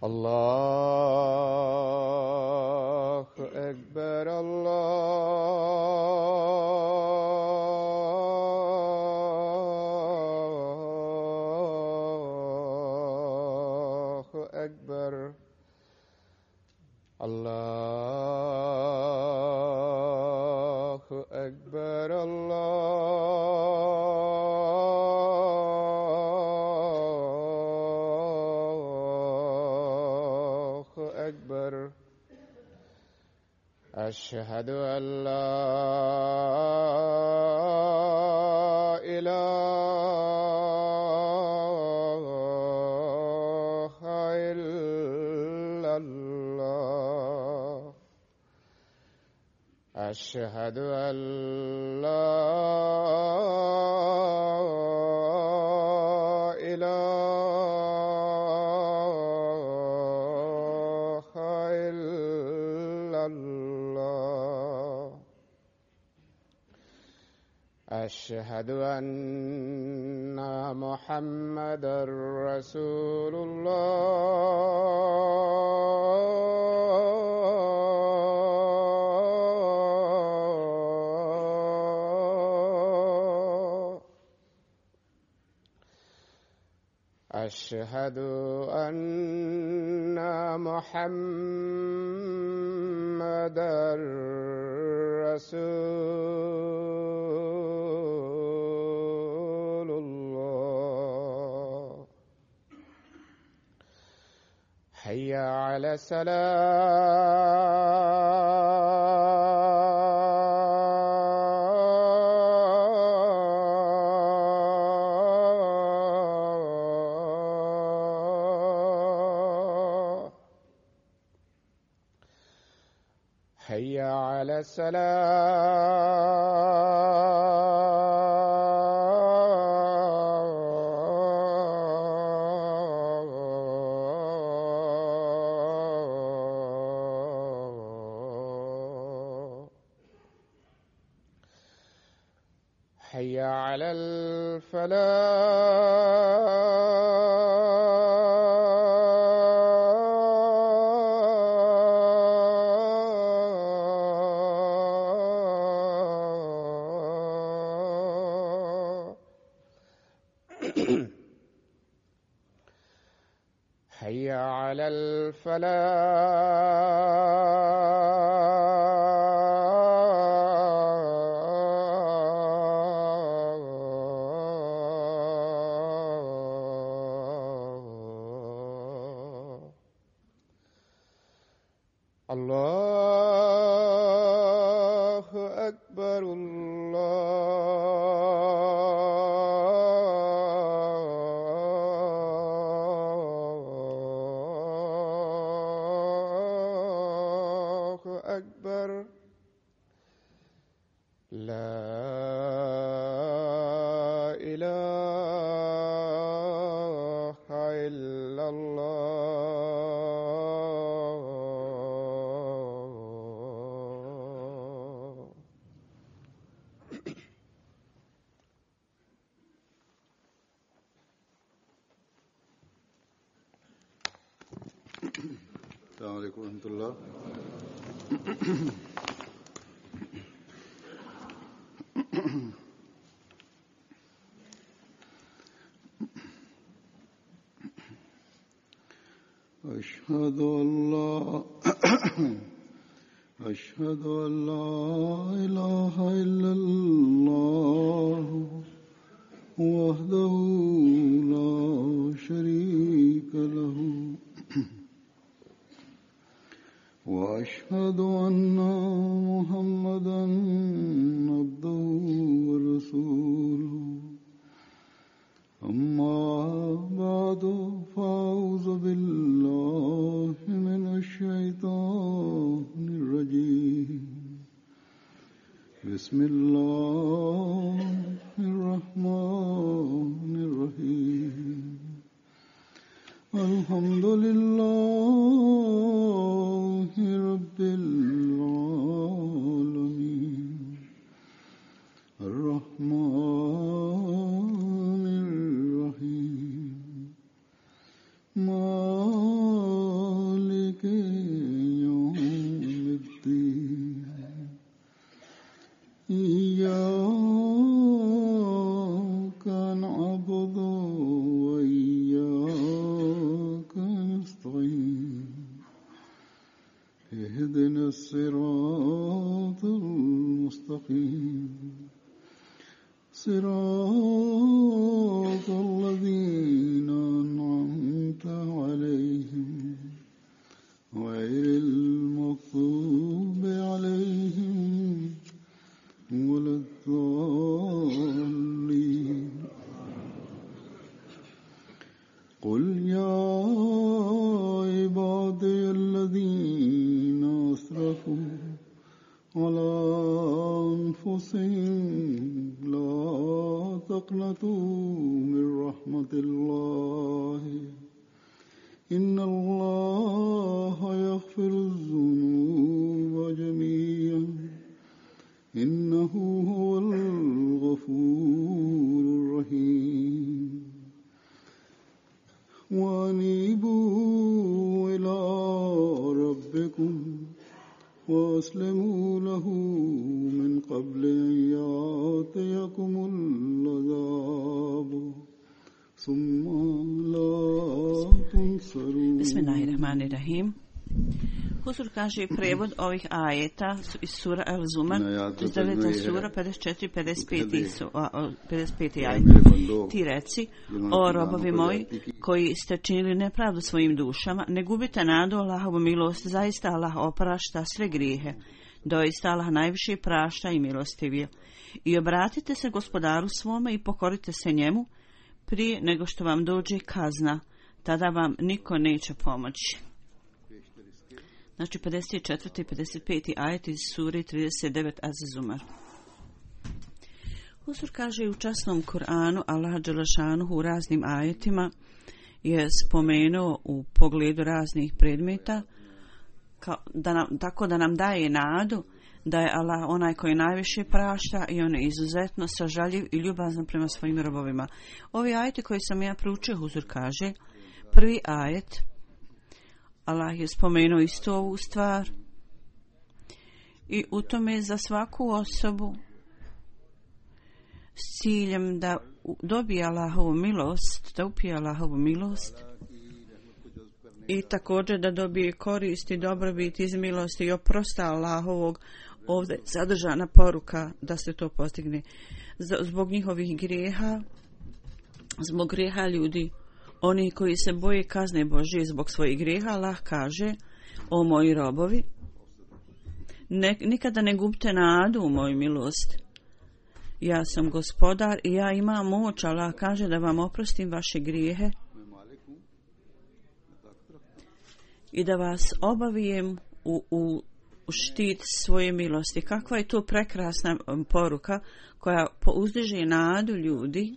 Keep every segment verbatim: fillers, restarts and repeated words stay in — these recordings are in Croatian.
الله أكبر الله أكبر الله أكبر الله أكبر أشهد أن لا إله إلا الله أشهد أن لا إله إلا الله أشهد أن محمدًا رسول الله أشهد أن محمدًا رسول الله حي على الصلاة حي على الصلاة حي على الفلاح حي على الفلاح الله أكبر الله أكبر لا إله إلا الله السلام عليكم ورحمة الله. أشهد أن لا أشهد أن لا إله إلا الله وحده لا شريك له وأشهد أن محمدًا عبده ورسوله أما بعد فأعوذ بالله من الشيطان الرجيم بسم الله الرحمن الرحيم الحمد لله رب العالمين الرحمن الرحيم مالك الصراط المستقيم صراط الذين أنعمت عليهم غير المغضوب عليهم ولا الضالين قل يا عبادي الذين أسرفوا على أنفسهم لا تقنطوا من رحمة الله إن الله يغفر الذنوب جميعا إنه هو الغفور الرحيم وأنيبوا إلى ربكم وأسلموا له من قبل أن يأتيكم العذاب ثم لا تنصرون. Bismillahirrahmanirrahim. Huzur kaže prevod ovih ajeta iz sura Al-Zumar, iz devete sura, pedeset četiri pedeset pet ajet. Ti reci, o robovi moji, koji ste činili nepravdu svojim dušama, ne gubite nadu Allahovu milost, zaista Allah oprašta sve grijehe. Doista Allah najviše prašta i milostivije. I obratite se gospodaru svome i pokorite se njemu prije nego što vam dođe kazna, tada vam niko neće pomoći. Znači pedeset četvrti i pedeset peti ajet iz sure trideset devet Az-Zumar. Huzur kaže u časnom Kur'anu Allah dželešanuhu u raznim ajetima je spomenuo u pogledu raznih predmeta kao da nam, tako da nam daje nadu da je Allah onaj koji najviše prašta i on je izuzetno sažaljiv i ljubazan prema svojim robovima. Ovi ajeti koji sam ja proučio, Huzur kaže, prvi ajet Allah je spomenuo isto ovu stvar i u tome za svaku osobu s ciljem da dobije Allahovu milost, da upije Allahovu milost i također da dobije korist i dobrobit iz milosti i oprosta Allahovog, ovdje sadržana poruka da se to postigne. Zbog njihovih grijeha, zbog grijeha ljudi, oni koji se boje kazne Božje zbog svojih grijeha, Allah kaže, o moji robovi, ne, nikada ne gubite nadu u moju milost. Ja sam gospodar i ja imam moć, Allah kaže da vam oprostim vaše grijehe i da vas obavijem u, u, u štit svoje milosti. Kakva je to prekrasna poruka koja uzdiže nadu ljudi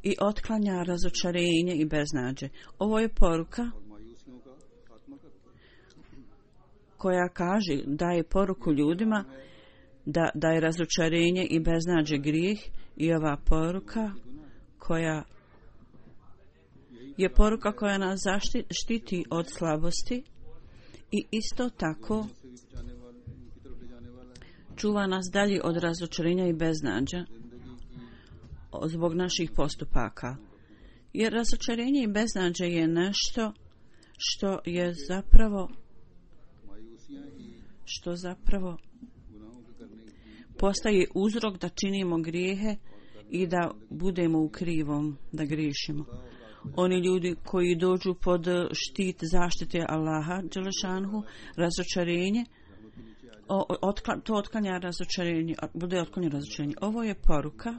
i otklanja razočarenje i beznađe. Ovo je poruka koja kaže, daje poruku ljudima da, da je razočarenje i beznađe grijeh i ova poruka koja je poruka koja nas zaštiti od slabosti i isto tako čuva nas dalje od razočarenja i beznađa zbog naših postupaka. Jer razočarenje i beznađe je nešto što je zapravo što zapravo postaje uzrok da činimo grijehe i da budemo u krivom, da griješimo. Oni ljudi koji dođu pod štit zaštite Allaha dželešanhu, razočarenje, otkla, to otklanja razočarenje, bude otklanja razočarenje. Ovo je poruka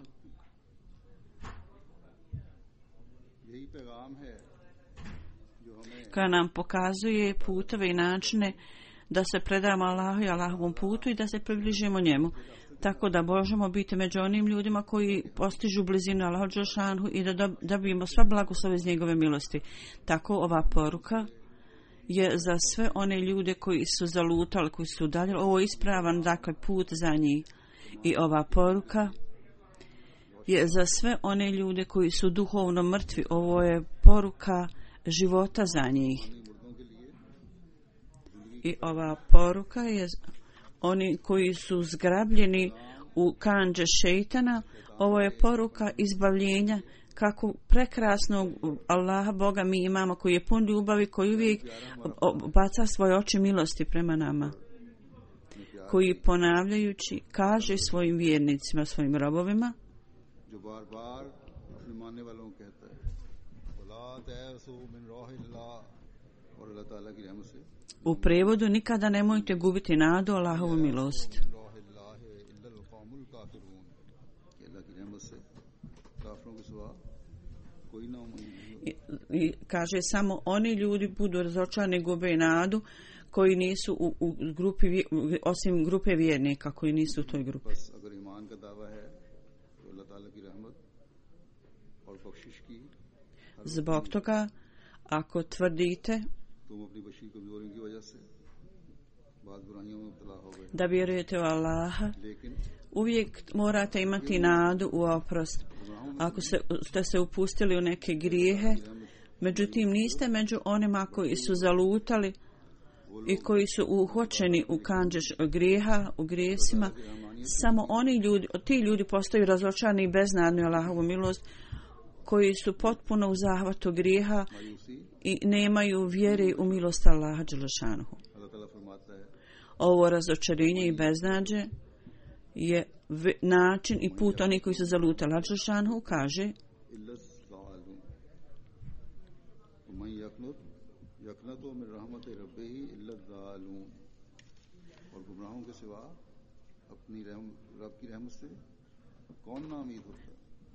koja nam pokazuje putove i načine da se predamo Allahu i Allahovom putu i da se približimo njemu. Tako da možemo biti među onim ljudima koji postižu blizinu Allahu dželešanhu i da dobijemo sva blagoslove iz njegove milosti. Tako ova poruka je za sve one ljude koji su zalutali, koji su udaljili. Ovo je ispravan, dakle, put za njih. I ova poruka je za sve one ljude koji su duhovno mrtvi. Ovo je poruka života za njih. I ova poruka je oni koji su zgrabljeni u kandže šejtana. Ovo je poruka izbavljenja kako prekrasnog Allaha Boga mi imamo, koji je pun ljubavi, koji uvijek baca svoje oči milosti prema nama, koji ponavljajući kaže svojim vjernicima, svojim robovima, u prevodu nikada nemojte gubiti nadu Allahovu milost. I, i kaže samo oni ljudi budu razočarani, gube nadu koji nisu u, u grupi, osim grupe vjernika koji nisu u toj grupi. Zbog toga, ako tvrdite da vjerujete u Allaha, uvijek morate imati nadu u oprost. Ako se, ste se upustili u neke grijehe, međutim niste među onima koji su zalutali i koji su uhvaćeni u kanđeš grijeha, u grijesima, samo oni ljudi, ti ljudi postaju razočarani i beznadni u Allahovu milost, koji su potpuno u zahvatu grijeha i nemaju vjere u milost Allaha dželešanuhu. Ovo razočarenje i beznađe je način i put onih koji su zalutali. Allah dželešanuhu kaže: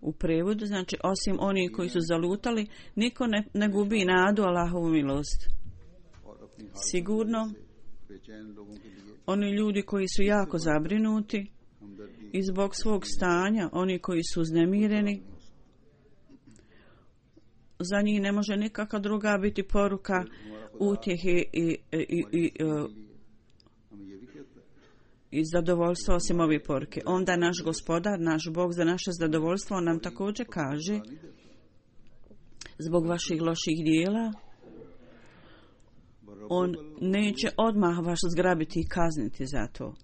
u prevodu znači osim onih koji su zalutali, niko ne, ne gubi nadu Allahovu milost. Sigurno oni ljudi koji su jako zabrinuti i zbog svog stanja, oni koji su uznemireni, za njih ne može nikakva druga biti poruka utjehe i, i, i, i, i zadovoljstva osim ove poruke. Onda naš Gospodar, naš Bog za naše zadovoljstvo nam također kaže: zbog vaših loših dijela on neće odmah vas zgrabiti i kazniti za to.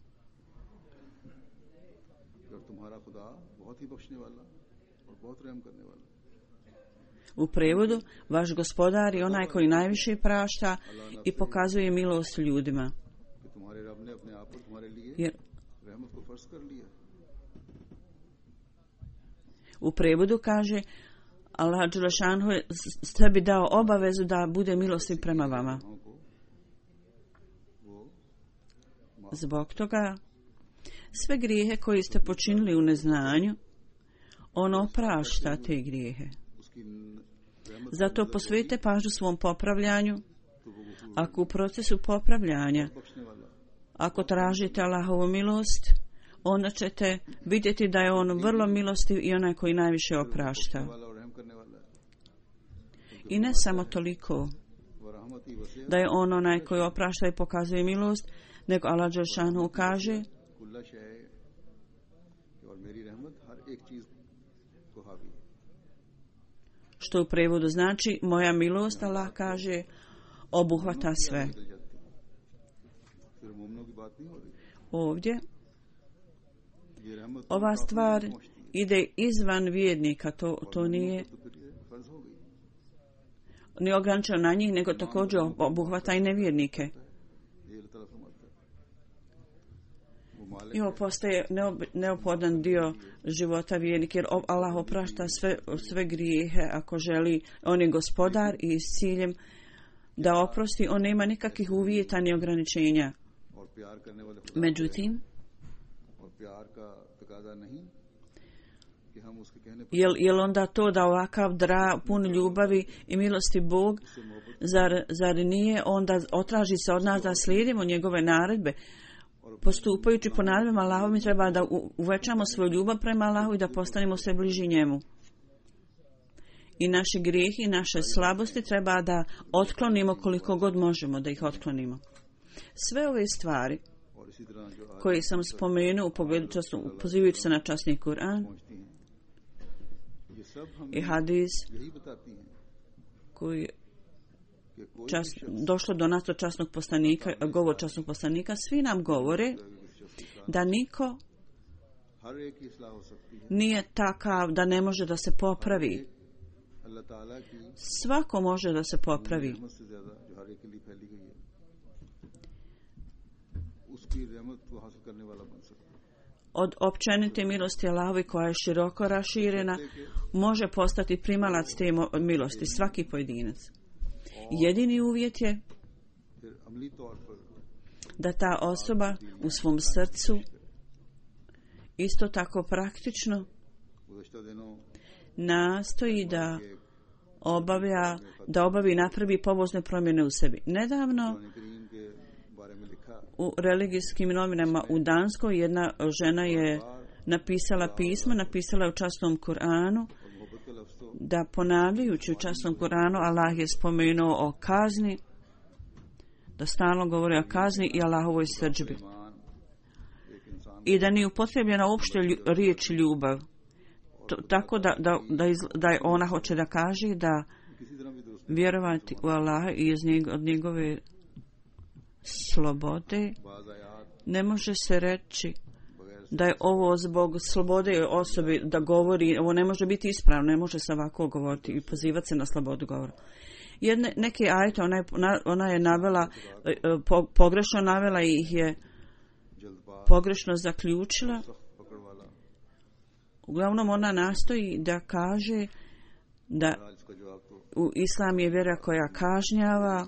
U prevodu, vaš Gospodar je onaj koji najviše prašta i pokazuje milost ljudima. Jer u prevodu kaže Allah dželešanuhu je sebi dao obavezu da bude milostiv prema vama. Zbog toga sve grijehe koje ste počinili u neznanju, on oprašta te grijehe. Zato posvetite pažnju svom popravljanju. Ako u procesu popravljanja, ako tražite Allahovu milost, onda ćete vidjeti da je on vrlo milostiv i onaj koji najviše oprašta. I ne samo toliko da je on onaj koji oprašta i pokazuje milost, nego Allah dželešanuhu kaže: što u prevodu znači moja milost, Allah kaže, obuhvata sve. Ovdje ova stvar ide izvan vjernika, to, to nije ne ograničeno na njih, nego također obuhvata i nevjernike. I ovo postaje neophodan dio života vjernika, jer Allah oprašta sve, sve grijehe ako želi. On je Gospodar i s ciljem da oprosti, on nema nikakvih uvjeta ni ograničenja. Međutim, jel, jel onda to da ovakav dra, pun ljubavi i milosti Bog, zar, zar nije onda otraži se od nas da slijedimo njegove naredbe? Postupajući po naredbama Allahu, mi treba da uvećamo svoju ljubav prema Allahu i da postanemo sve bliži njemu. I naše grijehe i naše slabosti treba da otklonimo koliko god možemo da ih otklonimo. Sve ove stvari koje sam spomenuo u pogledu časnog, pozivajući se na časni Kur'an i hadis koji čas, došlo do nas od časnog poslanika, govor časnog poslanika, svi nam govore da niko nije takav da ne može da se popravi. svako može da se popravi. Od općenite milosti Allahovi koja je široko raširena može postati primalac te milosti, svaki pojedinac. Jedini uvjet je da ta osoba u svom srcu isto tako praktično nastoji da obavlja, da obavi napravi pobozne promjene u sebi. Nedavno u religijskim novinama u Danskoj jedna žena je napisala pismo, napisala je u časnom Kur'anu, da ponavljajući u časnom Kur'anu Allah je spomenuo o kazni, da stalno govori o kazni i Allahovoj srdžbi. I da nije upotrebljena uopšte riječ ljubav. To, tako da, da, da, iz, da je ona hoće da kaže da vjerovati u Allaha i iz njeg, od njegove slobode ne može se reći da je ovo zbog slobode osobe da govori, ovo ne može biti ispravno, ne može se ovako govoriti i pozivati se na slobodu govora. Jedne, neke ajete ona je, ona je navela, po, pogrešno navela i ih je pogrešno zaključila. Uglavnom ona nastoji da kaže da u Islam je vjera koja kažnjava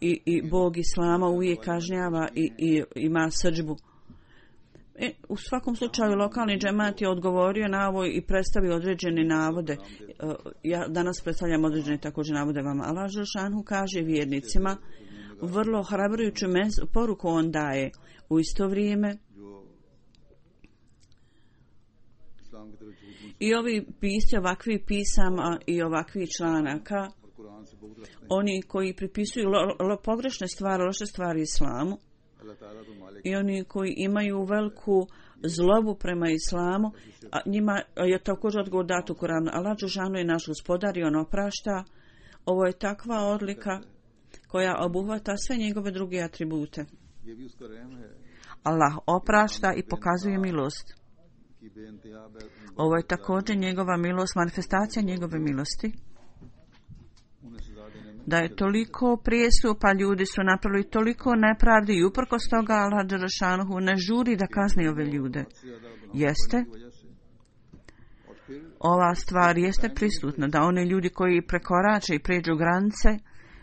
i, i Bog Islama uvijek kažnjava i, i ima srdžbu. E, u svakom slučaju lokalni džemat je odgovorio na ovo i predstavio određene navode. E, ja danas predstavljam određene također navode vama. Allah Želšanhu kaže vjernicima, vrlo hrabrujuću poruku on daje. U isto vrijeme i ovi pisci ovakvi pisama i ovakvi članaka, oni koji pripisuju lo, lo, pogrešne stvari, loše stvari islamu i oni koji imaju veliku zlobu prema islamu, a njima je također odgovor dat u Kuranu. Allah dželešanu je naš gospodar i on oprašta. Ovo je takva odlika koja obuhvata sve njegove druge atribute. Allah oprašta i pokazuje milost. Ovo je također njegova milost, manifestacija njegove milosti. Da je toliko prijestupa, ljudi su napravili toliko nepravdi i uprkos toga Allah dželešanu ne žuri da kazni ove ljude. Jeste, ova stvar jeste prisutna, da oni ljudi koji prekorače i pređu granice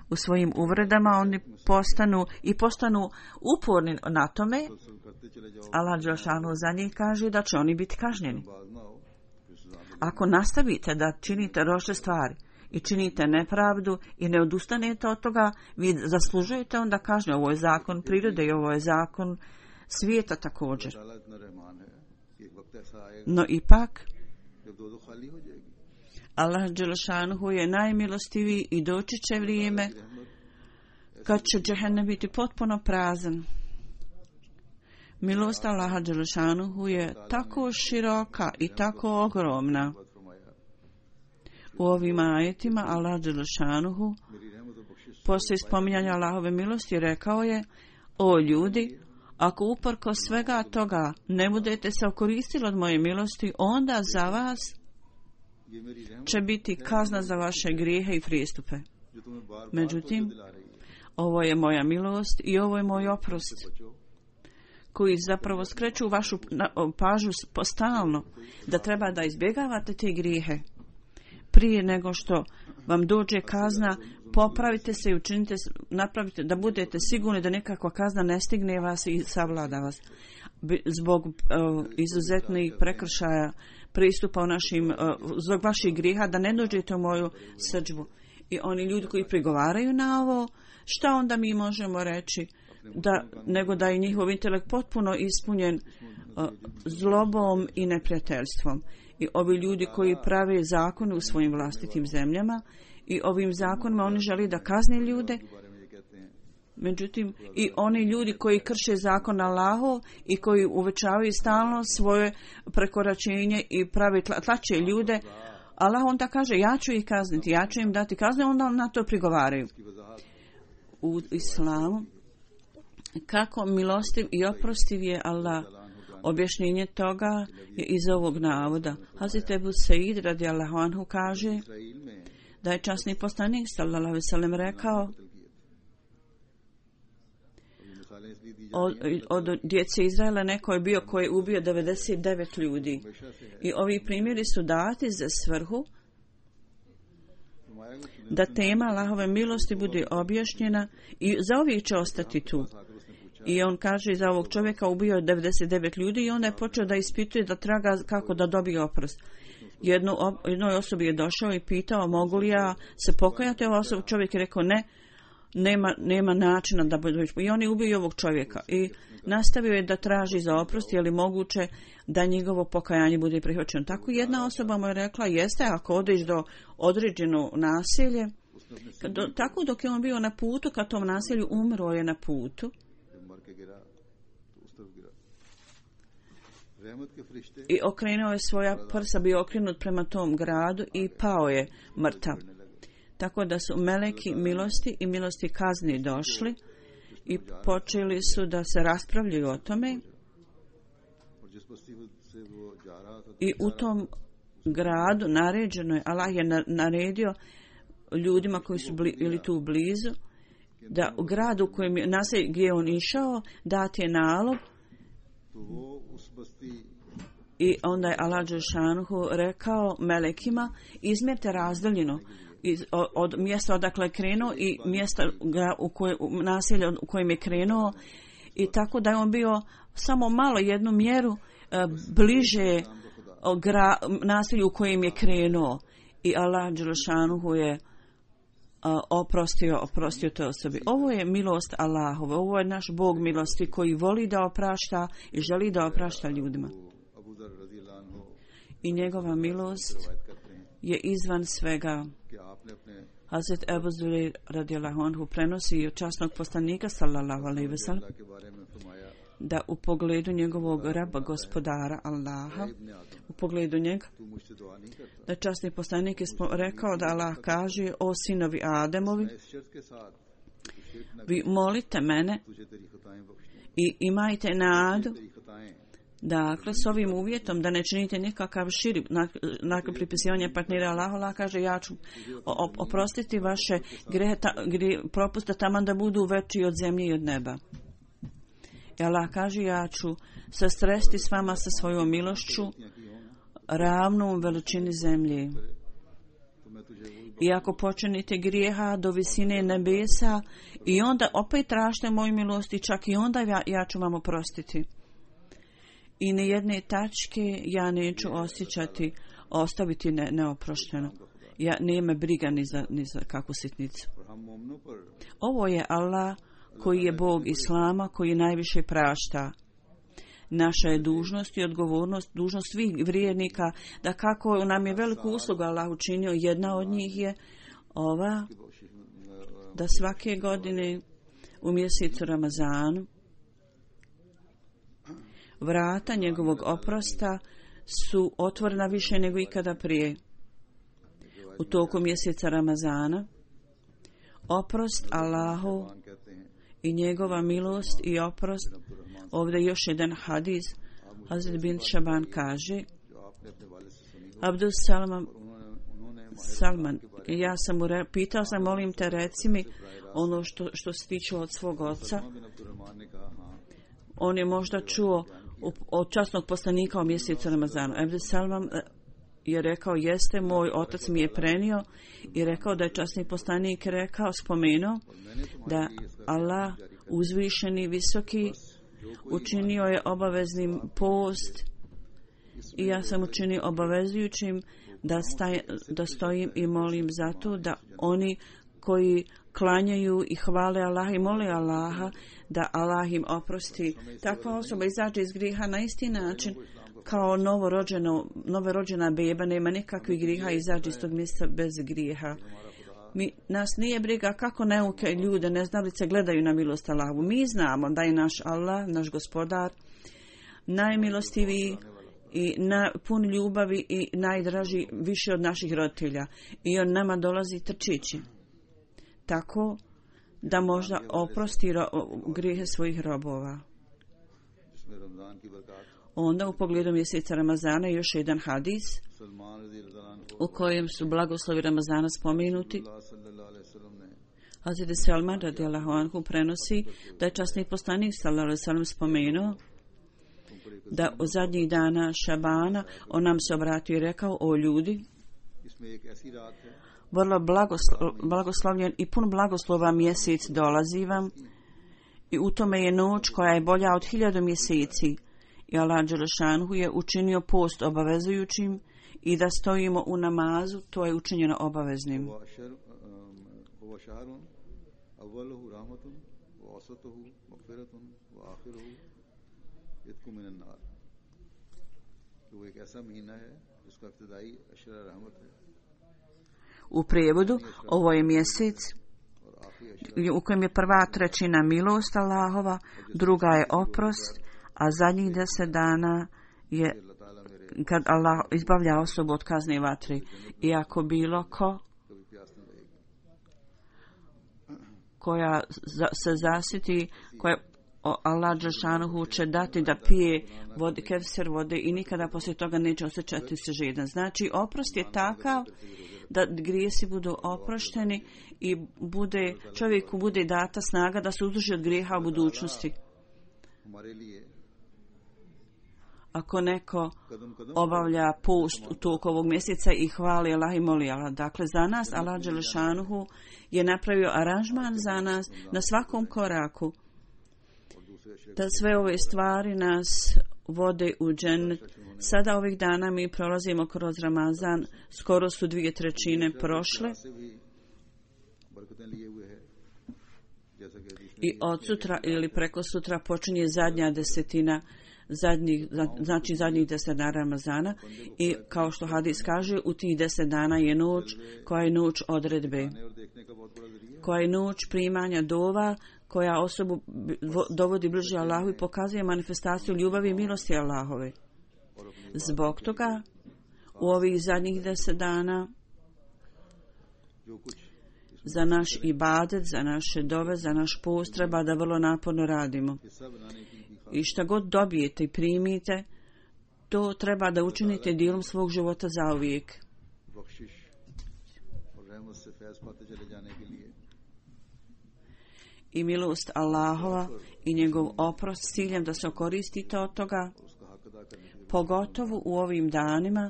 u svojim uvredama, oni postanu i postanu uporni na tome, Allah dželešanu za njih kaže da će oni biti kažnjeni. Ako nastavite da činite loše stvari i činite nepravdu i ne odustanete od toga, vi zaslužujete onda kažnje. Ovo je zakon prirode i ovo je zakon svijeta također. No ipak, Allah dželešanu je najmilostiviji i doći će vrijeme kad će džehennem biti potpuno prazan. Milost Allaha dželešanu je tako široka i tako ogromna. U ovim ajetima Allah dželešanu poslije spominjanja Allahove milosti rekao je: o ljudi, ako uprko svega toga ne budete se okoristili od moje milosti, onda za vas će biti kazna za vaše grijehe i prijestupe. Međutim, ovo je moja milost i ovo je moj oprost, koji zapravo skreću vašu pažnju stalno da treba da izbjegavate te grijehe. Prije nego što vam dođe kazna, popravite se i učinite, napravite da budete sigurni da nekakva kazna ne stigne vas i savlada vas. Zbog uh, izuzetnih prekršaja pristupa u našim, uh, zbog vaših grijeha, da ne dođete u moju srdžbu. I oni ljudi koji prigovaraju na ovo, šta onda mi možemo reći? Da, nego da je njihov intelekt potpuno ispunjen uh, zlobom i neprijateljstvom. I ovi ljudi koji prave zakone u svojim vlastitim zemljama i ovim zakonima oni žele da kazne ljude. Međutim, i oni ljudi koji krše zakon Allahov i koji uvećavaju stalno svoje prekoračenje i prave tlače ljude, Allah onda kaže ja ću ih kazniti, ja ću im dati kazne, onda na to prigovaraju. U islamu, kako milostiv i oprostiv je Allah, Objašnjenje toga je iz ovog navoda. Hazret Ebu Said radijallahu anhu kaže da je časni poslanik sallallahu alejhi ve sellem rekao od, od djece Izraela neko je bio koji je ubio devedeset devet ljudi. I ovi primjeri su dati za svrhu da tema Allahove milosti bude objašnjena i zauvijek će ostati tu. I on kaže za ovog čovjeka ubio je devedeset devet ljudi i onda je počeo da ispituje, da traga kako da dobije oprost. Jedno, jednoj osobi je došao i pitao mogu li ja se pokajati. Ova osoba, čovjek je rekao ne, nema, nema načina da bude. I on je ubio ovog čovjeka i nastavio je da traži za oprost, je li moguće da njegovo pokajanje bude prihvaćeno. Tako jedna osoba mu je rekla jeste, ako odeš do određeno naselje, do, tako dok je on bio na putu, kad tom naselju umro je na putu. I okrenuo je svoja prsa, bio okrenut prema tom gradu i pao je mrtav. Tako da su meleki milosti i milosti kazni došli i počeli su da se raspravljaju o tome. I u tom gradu naređeno je, Allah je naredio ljudima koji su bili tu blizu, da u gradu u kojem je naselje gdje on išao, dati je nalog. I onda je Allah dželšanuhu rekao melekima izmjerite razdaljinu iz, od, od mjesta odakle je krenuo i mjesta u koje, u naselje u kojem je krenuo, i tako da je on bio samo malo jednu mjeru e, bliže gra, naselju u kojem je krenuo. I Allah dželšanuhu je oprostio, oprostio toj osobi. Ovo je milost Allahove, ovo je naš Bog milosti koji voli da oprašta i želi da oprašta ljudima. I njegova milost je izvan svega. Hazret Ebu Zureir radijallahu anhu prenosi od časnog poslanika sallallahu alejhi ve sellem da u pogledu njegovog raba gospodara Allaha, u pogledu njega, da časni poslanik je rekao da Allah kaže o sinovi Ademovi, vi molite mene i imajte nadu, dakle s ovim uvjetom da ne činite nikakav širi nakon pripisivanja partnera Allahu. Allah kaže ja ću oprostiti vaše grehe, gdje propuste taman da budu veći od zemlje i od neba. I Allah kaže ja ću se sresti s vama sa svojom milošću ravnom veličini zemlje. I ako počinite grijeha do visine nebesa i onda opet tražite moju milost i čak i onda ja, ja ću vam oprostiti. I ni jedne tačke ja neću osjećati, ostaviti ne, neoprošteno. Ja nema briga ni za, ni za kakvu sitnicu. Ovo je Allah koji je Bog Islama, koji najviše prašta. Naša je dužnost i odgovornost, dužnost svih vrijednika, da kako nam je veliku uslugu Allah učinio, jedna od njih je ova, da svake godine u mjesecu Ramazanu vrata njegovog oprosta su otvorena više nego ikada prije. U toku mjeseca Ramazana oprost Allahu i njegova milost i oprost. Ovdje još jedan hadis. Hazret bin Šaban kaže Abdul Salman, Salman ja sam mu re, pitao sam molim te reci mi ono što, što se tiče od svog oca. On je možda čuo od časnog poslanika o mjesecu Ramazanu. Abdul Salman je rekao jeste, moj otac mi je prenio i rekao da je časni poslanik rekao, spomenuo da Allah uzvišeni visoki učinio je obaveznim post i ja sam učinio obavezujućim da, staj, da stojim i molim za to da oni koji klanjaju i hvale Allaha i mole Allaha da Allah im oprosti. Takva osoba izađe iz griha na isti način kao novorođeno, novorođena beba, nema nikakvih griha, izađe iz tog mjesta bez grijeha. Mi, nas nije briga kako neuke ljude, neznalice gledaju na milost Allahu. Mi znamo da je naš Allah, naš gospodar, najmilostiviji i na, pun ljubavi i najdraži više od naših roditelja. I on nama dolazi trčići. Tako da možda oprosti ro, grijehe svojih robova. Onda u pogledu mjeseca Ramazana još jedan hadis u kojem su blagoslovi Ramazana spomenuti. Hazreti Salman radijallahu anhu prenosi da je časni poslanik sallallahu alejhi ve sellem spomenuo da u zadnjih dana Šabana on nam se obratio i rekao: o ljudi, vrlo blagoslo, blagoslovljen i pun blagoslova mjesec dolazi vam i u tome je noć koja je bolja od hiljadu mjeseci i Allah dželešanhu je učinio post obavezujućim i da stojimo u namazu, to je učinjeno obaveznim. U prijevodu, ovo je mjesec u kojem je prva trećina milost Allahova, druga je oprost, a zadnjih deset dana je kad Allah izbavlja osobu od kazne vatre. I ako bilo ko koja se zasiti, koja Allah dželešanuhu će dati da pije vode, kevser vode i nikada poslije toga neće osjećati se žedan. Znači, oprost je takav da grijesi budu oprošteni i bude, čovjeku bude data snaga da se uzdrži od grijeha u budućnosti. Ako neko obavlja post u toku ovog mjeseca i hvali Allah i moli Allah. Dakle, za nas Allah dželešanuhu je napravio aranžman za nas na svakom koraku. Da sve ove stvari nas vode u džennet. Sada ovih dana mi prolazimo kroz Ramazan, skoro su dvije trećine prošle. I od sutra ili preko sutra počinje zadnja desetina, zadnjih, znači zadnjih deset dana Ramazana. I kao što hadis kaže, u tih deset dana je noć koja je noć odredbe, koja je noć primanja dova, koja osobu dovodi bliže Allahu i pokazuje manifestaciju ljubavi i milosti Allahove. Zbog toga u ovih zadnjih deset dana za naš ibadet, za naše dove, za naš post treba da vrlo naporno radimo. I šta god dobijete i primite, to treba da učinite dijelom svog života zauvijek. I milost Allahova i njegov oprost s ciljem da se koristite od toga, pogotovo u ovim danima,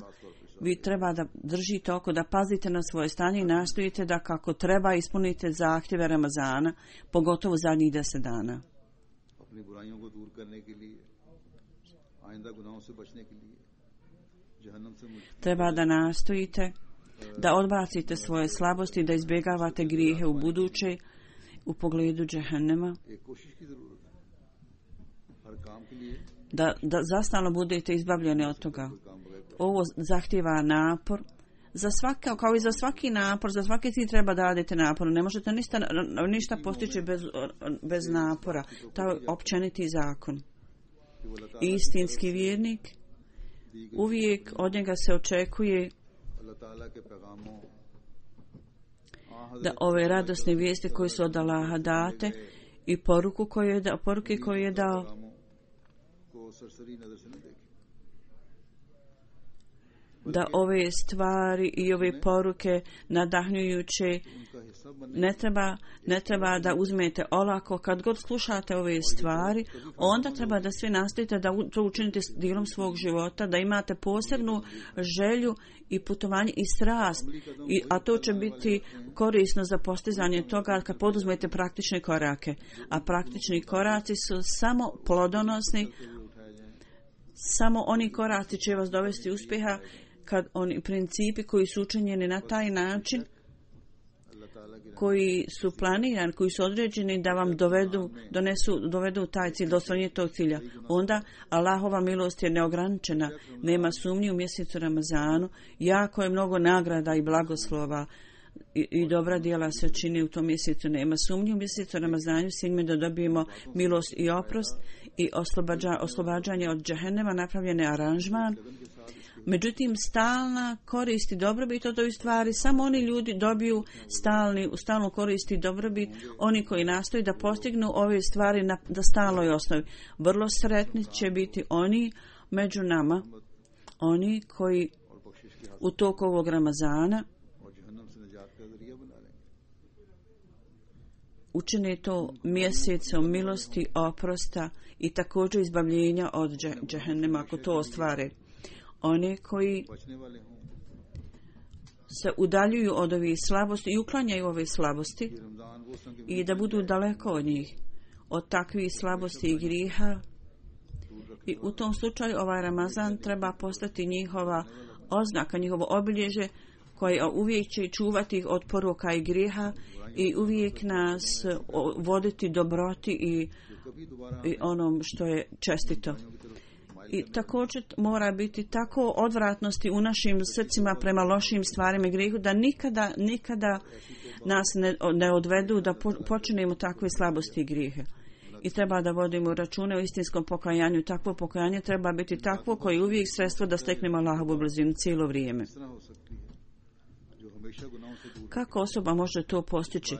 vi treba da držite oko, da pazite na svoje stanje i nastojite da kako treba ispunite zahtjeve Ramazana, pogotovo zadnjih deset dana. Treba da nastojite da odbacite svoje slabosti, da izbjegavate grijehe u buduće u pogledu džehennema, da, da zastalno budete izbavljeni od toga. Ovo zahtjeva napor. Za svaka, kao i za svaki napor, za svaki cilj treba da radite napor. Ne možete ništa, ništa postići bez, bez napora. To je općeniti zakon. Istinski vjernik, uvijek od njega se očekuje da ove radosne vijesti koje su od Allaha date i poruku koju je dao, poruke koju je dao, da ove stvari i ove poruke nadahnjujuće ne treba, ne treba da uzmete olako. Kad god slušate ove stvari, onda treba da sve nastojite da to učinite dijelom svog života, da imate posebnu želju i putovanje i strast, I, a to će biti korisno za postizanje toga kad poduzmete praktične korake. A praktični koraci su samo plodonosni, samo oni koraci će vas dovesti uspjeha kad oni principi koji su učinjeni na taj način, koji su planirani, koji su određeni da vam dovedu, donesu, dovedu taj cilj, do ostvarenja tog cilja. Onda Allahova milost je neograničena, nema sumnji u mjesecu Ramazanu, jako je mnogo nagrada i blagoslova i, i dobra djela se čini u tom mjesecu. Nema sumnji u mjesecu Ramazanu, s njime da dobijemo milost i oprost i oslobađa, oslobađanje od džehennema, napravljene aranžman. Međutim, stalna korist i dobrobit od ovih stvari, samo oni ljudi dobiju stalni, stalnu korist i dobrobit, oni koji nastoji da postignu ove stvari na da stalnoj osnovi. Vrlo sretni će biti oni među nama oni koji u toku ovog Ramazana učine to mjesecom milosti, oprosta i također izbavljenja od džehennema ako to ostvare. Oni koji se udaljuju od ovih slabosti i uklanjaju ove slabosti i da budu daleko od njih, od takvih slabosti i griha. I u tom slučaju ovaj Ramazan treba postati njihova oznaka, njihovo obilježje koje uvijek će čuvati ih od poroka i griha i uvijek nas voditi dobroti i, i onom što je čestito. I također mora biti tako odvratnosti u našim srcima prema lošim stvarima i grijehu da nikada, nikada nas ne, ne odvedu da po, počinemo takve slabosti i grijehe. I treba da vodimo račune o istinskom pokajanju. Takvo pokajanje treba biti takvo koje je uvijek sredstvo da steknemo Allahovu blizinu cijelo vrijeme. Kako osoba može to postići?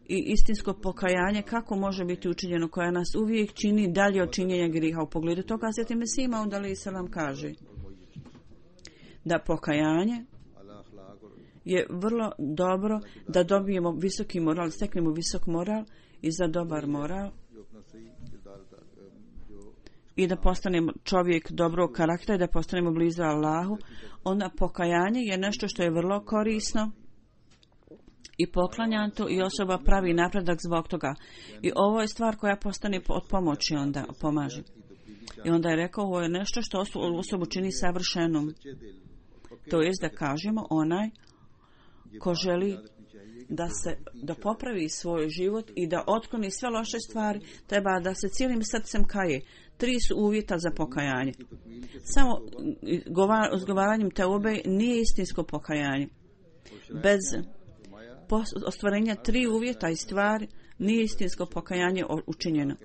I istinsko pokajanje kako može biti učinjeno koja nas uvijek čini dalje od činjenja griha. U pogledu toga Hazreti Mesih Maud alejhi selam kaže da pokajanje je vrlo dobro da dobijemo visoki moral, steknemo visok moral i za dobar moral i da postanemo čovjek dobrog karaktera i da postanemo blizu Allahu. Onda pokajanje je nešto što je vrlo korisno i poklanja to i osoba pravi napredak zbog toga. I ovo je stvar koja postane od pomoći, onda pomaže. I onda je rekao, ovo je nešto što osobu čini savršenom. To jest da kažemo, onaj ko želi da se da popravi svoj život i da otkloni sve loše stvari, treba da se cijelim srcem kaje. Tri su uvjeta za pokajanje. Samo izgovaranjem teube nije istinsko pokajanje. Bez ostvarenja tri uvjeta i stvari nije istinsko pokajanje učinjeno.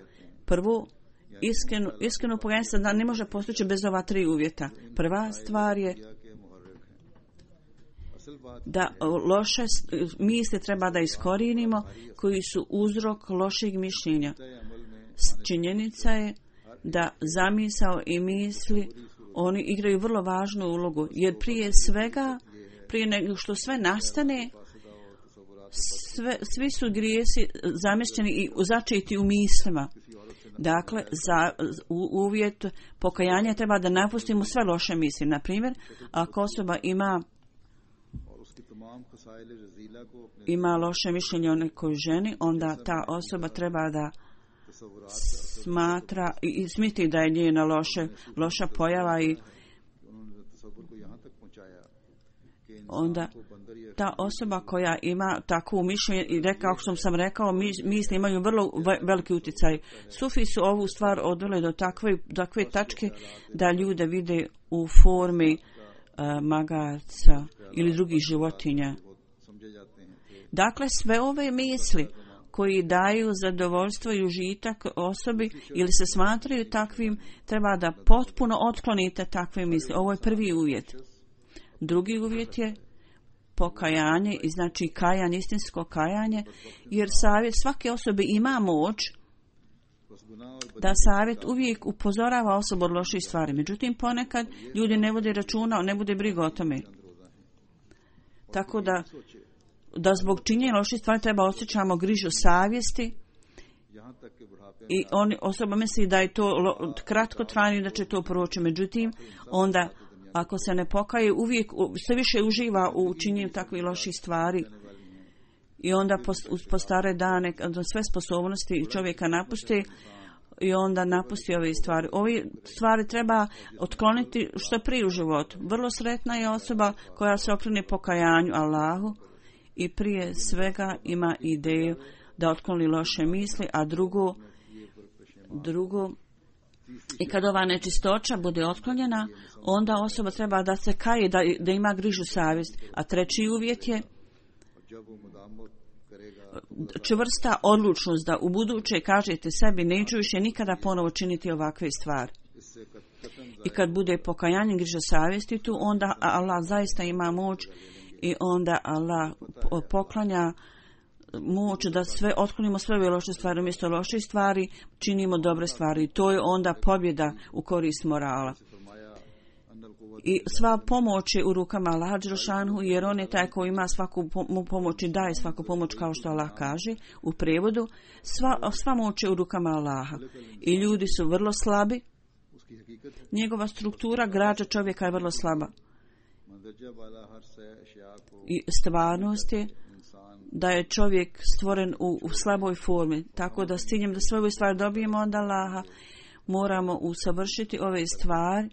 Prvo, iskreno, iskreno pokajanje se ne može postići bez ova tri uvjeta. Prva stvar je da loše misli treba da iskorijenimo koji su uzrok lošeg mišljenja. Činjenica je da zamisao i misli oni igraju vrlo važnu ulogu, jer prije svega, prije nego što sve nastane, sve, svi su grijesi zamješćeni i začeti u mislima. Dakle, za u, uvjet pokajanja treba da napustimo sve loše misli. Na primjer, ako osoba ima ima loše mišljenje o nekoj ženi, onda ta osoba treba da smatra i, i smiti da je njena loše, loša pojava i onda ta osoba koja ima takvu mišljenje i reka, kako sam sam rekao, misli imaju vrlo veliki utjecaj. Sufi su ovu stvar odvele do takve, takve tačke da ljude vide u formi uh, magarca ili drugih životinja. Dakle, sve ove misli koji daju zadovoljstvo i užitak osobi ili se smatraju takvim, treba da potpuno otklonite takve misli. Ovo je prvi uvjet. Drugi uvjet je pokajanje, i znači kajanje, istinsko kajanje, jer savjet svake osobe ima moć da savjet uvijek upozorava osobu od loših stvari. Međutim, ponekad ljudi ne vode računa, ne bude briga o tome. Tako da da zbog činjenja loših stvari treba osjećamo grižu savjesti i on, osoba misli da je to lo, kratko trajno i da će to proći. Međutim, onda ako se ne pokaje, uvijek sve više uživa u činjenju takvih loših stvari i onda po stare dane sve sposobnosti čovjeka napusti i onda napusti ove stvari. Ove stvari treba otkloniti što prije u životu. Vrlo sretna je osoba koja se okrene pokajanju Allahu i prije svega ima ideju da otkloni loše misli, a drugo, drugo i kad ova nečistoća bude otklonjena, onda osoba treba da se kaje, da, da ima grižu savjest. A treći uvjet je čvrsta odlučnost da u buduće kažete sebi neću više nikada ponovo činiti ovakve stvari. I kad bude pokajanje, griža savjesti tu, onda Allah zaista ima moć i onda Allah poklanja moć da sve otklonimo sve ove loše stvari, umjesto loših stvari činimo dobre stvari. To je onda pobjeda u korist morala. I sva pomoć je u rukama Allaha dželešanu, jer on je taj koji ima svaku pomoć i daje svaku pomoć, kao što Allah kaže u prijevodu. Sva, sva moć je u rukama Allaha. I ljudi su vrlo slabi. Njegova struktura građa čovjeka je vrlo slaba. I stvarnost je da je čovjek stvoren u, u slaboj formi. Tako da s ciljem da sve ove stvari dobijemo od Allaha, moramo usavršiti ove stvari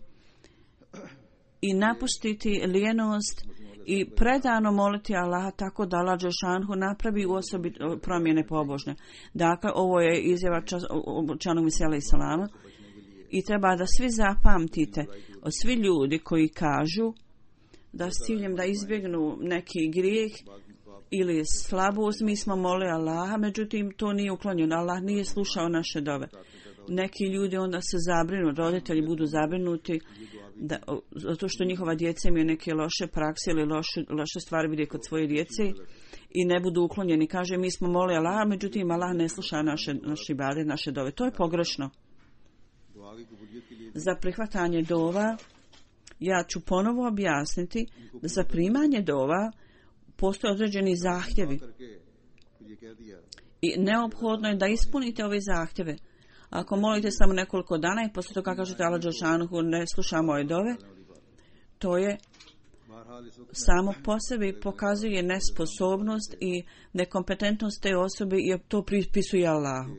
i napustiti lijenost i predano moliti Allaha, tako da Allah dželešanu napravi u osobi promjene pobožne. Dakle, ovo je izjava obećanog Mesija alejhi selama i treba da svi zapamtite, od svi ljudi koji kažu da s ciljem da izbjegnu neki grijeh ili slabost, mi smo molili Allaha, međutim to nije uklonjeno. Allah nije slušao naše dove. Neki ljudi onda se zabrinu, roditelji budu zabrinuti da, zato što njihova djeca imaju neke loše prakse ili loše, loše stvari vide kod svoje djece i ne budu uklonjeni. Kaže, mi smo molili Allaha, međutim Allah ne sluša naše, naše ibade, naše dove. To je pogrešno. Za prihvatanje dova ja ću ponovo objasniti da za primanje dova postoje određeni zahtjevi i neophodno je da ispunite ove zahtjeve. Ako molite samo nekoliko dana i poslije toga kažete Allah dželešanu ne sluša moje dove, to je samo po sebi pokazuje nesposobnost i nekompetentnost te osobe i to pripisuje Allahu.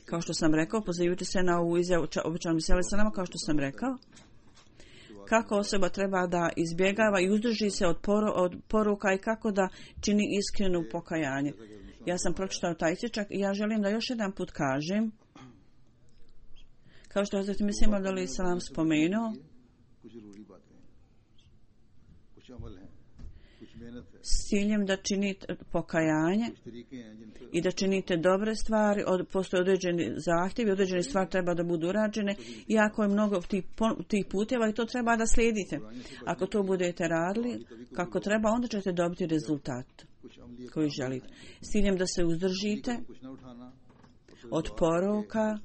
Kao što sam rekao, pozivajući se na ovu izjavu obećanog Mesija alejhi selama, kao što sam rekao, kako osoba treba da izbjegava i uzdrži se od, poru, od poruka i kako da čini iskreno pokajanje. Ja sam pročitao taj isječak i ja želim da još jedan put kažem, kao što je Hazreti Mesija alejhi selam spomenuo, s ciljem da činite pokajanje i da činite dobre stvari, od, postoje određeni zahtjevi, određene stvari treba da budu urađene, iako je mnogo tih, tih puteva i to treba da slijedite. Ako to budete radili kako treba, onda ćete dobiti rezultat koji želite. S ciljem da se uzdržite od poruka,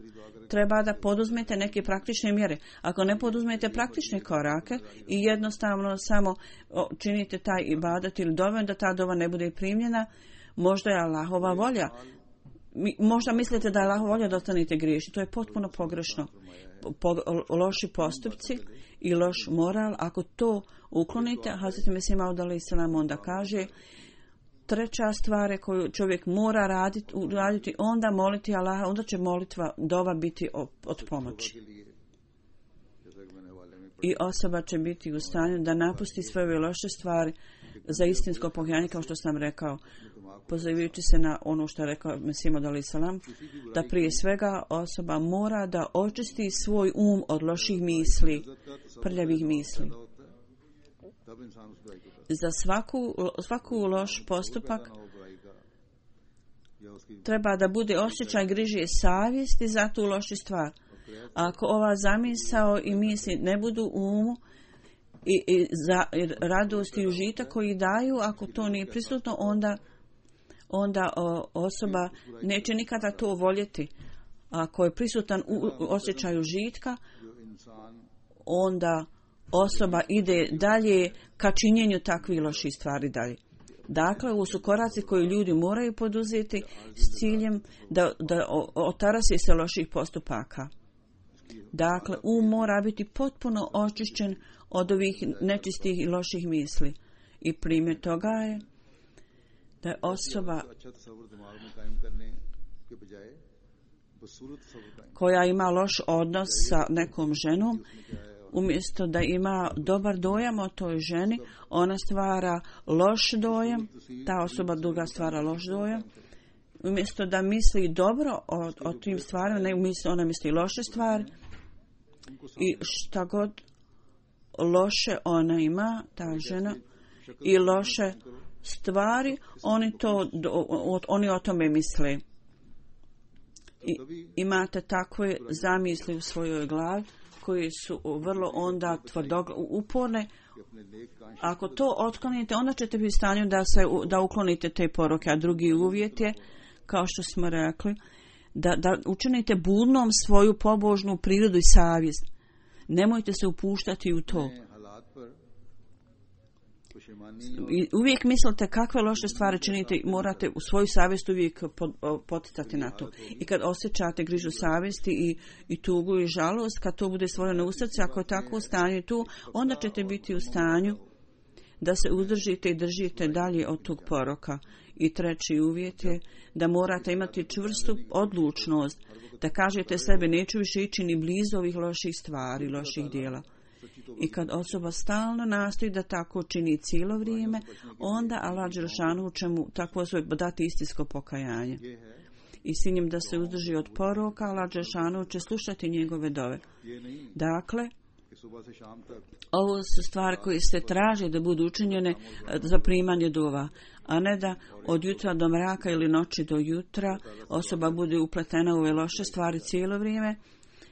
treba da poduzmete neke praktične mjere. Ako ne poduzmete praktične korake i jednostavno samo činite taj ibadat ili doven da ta dova ne bude primljena, možda je Allahova volja. Možda mislite da je Allahova volja da ostanete griješni. To je potpuno pogrešno. Po, loši postupci i loš moral, ako to uklonite, Hazreti Mesija alejhi selam onda kaže, treća stvar koju čovjek mora raditi, raditi, onda moliti Allaha, onda će molitva dova biti od pomoći. I osoba će biti u stanju da napusti sve ove loše stvari za istinsko pokajanje, kao što sam rekao, pozivajući se na ono što je rekao Mesija alejhi selam, da prije svega osoba mora da očisti svoj um od loših misli, prljavih misli. Za svaku, svaku loš postupak treba da bude osjećaj grižije savjesti za tu lošu stvar. Ako ova zamisao i misli ne budu u umu i, i za radost i užitak koji daju, ako to nije prisutno, onda, onda o, osoba neće nikada to voljeti. Ako je prisutan u, u osjećaju užitka, onda osoba ide dalje ka činjenju takvih loših stvari dalje. Dakle, ovo su koraci koji ljudi moraju poduzeti s ciljem da, da otarasi se loših postupaka. Dakle, um mora biti potpuno očišćen od ovih nečistih i loših misli. I primjer toga je da je osoba koja ima loš odnos sa nekom ženom, umjesto da ima dobar dojam o toj ženi, ona stvara loš dojam, ta osoba druga stvara loš dojam. Umjesto da misli dobro o, o tim stvarima, ne misli, ona misli loše stvari. I šta god loše ona ima, ta žena, i loše stvari, oni, to, oni o tome misle. I imate takve zamisli u svojoj glavi koji su vrlo onda tvrdo uporne. Ako to otklonite, onda ćete biti u stanju da, se, da uklonite te poruke. A drugi uvjet je, kao što smo rekli, da, da učinite budnom svoju pobožnu prirodu i savjest. Nemojte se upuštati u to. I uvijek mislite kakve loše stvari činite, morate u svoju savjest uvijek poticati na to. I kad osjećate grižu savjesti i, i tugu i žalost, kad to bude stvoreno u srcu, ako je tako u stanju tu, onda ćete biti u stanju da se uzdržite i držite dalje od tog poroka. I treći uvjet je da morate imati čvrstu odlučnost, da kažete sebi neću više ići ni blizu ovih loših stvari, loših dijela. I kad osoba stalno nastoji da tako čini cijelo vrijeme, onda Allah dželešanu će mu takvo svoje dati istinsko pokajanje. I s njim da se uzdrži od poroka, Allah dželešanu će slušati njegove dove. Dakle, ovo su stvari koje se traže da budu učinjene za primanje dova, a ne da od jutra do mraka ili noći do jutra osoba bude upletena u ove loše stvari cijelo vrijeme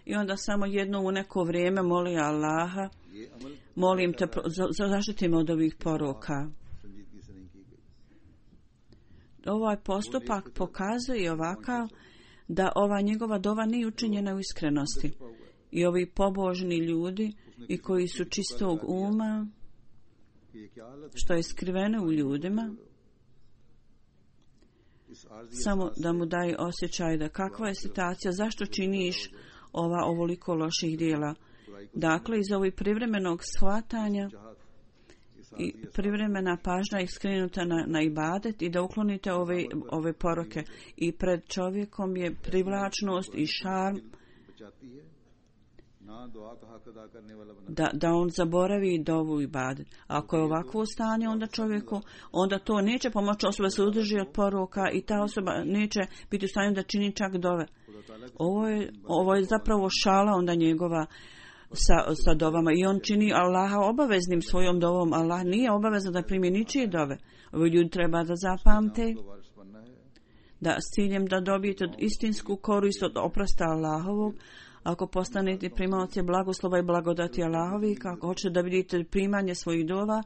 i onda samo jedno u neko vrijeme moli Allaha, molim te, zaštiti me od ovih poroka. Ovaj postupak pokazuje ovakav da ova njegova dova nije učinjena u iskrenosti. I ovi pobožni ljudi i koji su čistog uma, što je skriveno u ljudima, samo da mu daje osjećaj da kakva je situacija, zašto činiš ova ovoliko loših dijela. Dakle, iz ovih privremenog shvatanja i privremena pažnja je skrenuta na, na ibadet i da uklonite ove, ove poroke. I pred čovjekom je privlačnost i šarm Da, da on zaboravi dovu ibadet. Ako je ovakvo stanje onda čovjeku, onda to neće pomoći osoba se udrži od poroka i ta osoba neće biti u stanju da čini čak dove. Ovo je, ovo je zapravo šala onda njegova sa, sa dovama i on čini Allaha obaveznim svojom dovom. Allah nije obavezan da primi ničije dove. Ovo ljudi treba da zapamte da s ciljem da dobijete istinsku korist od oprosta Allahovog. Ako postanete primaoci blagoslova i blagodati Allahovi, kako hoćete da vidite primanje svojih dova,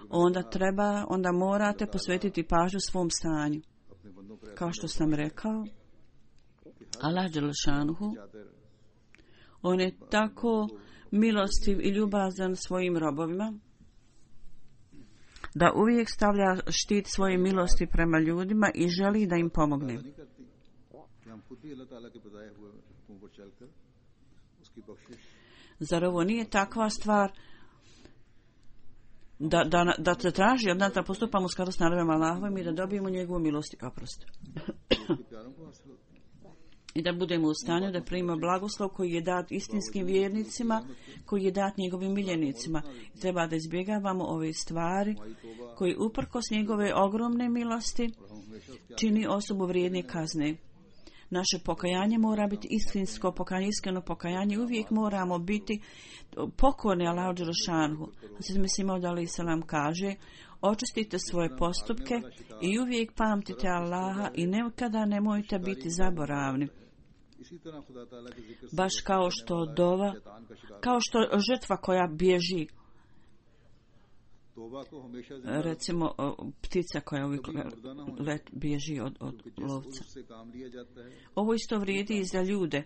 onda treba, onda morate posvetiti pažnju svom stanju. Kao što sam rekao, Allah dželešanuhu, on je tako milostiv i ljubazan svojim robovima, da uvijek stavlja štit svoje milosti prema ljudima i želi da im pomogne. Zar ovo nije takva stvar da, da, da se traži od nas da postupamo u skladu s naredbama Allahovim i da dobijemo njegovu milost i oprost. I da budemo u stanju da primimo blagoslov koji je dat istinskim vjernicima, koji je dat njegovim miljenicima. I treba da izbjegavamo ove stvari koji uprkos njegove ogromne milosti čini osobu vrijedne kazne. Naše pokajanje mora biti istinsko pokajanje, iskreno pokajanje. Uvijek moramo biti pokorni Allahu dželešanuhu. Hazret Mesih Maud alejhi selam kaže: očistite svoje postupke i uvijek pamtite Allaha i nikada nemojte biti zaboravni. Baš kao što dova, kao što žrtva koja bježi, recimo ptica koja uvijek let bježi od, od lovca. Ovo isto vrijedi i za ljude.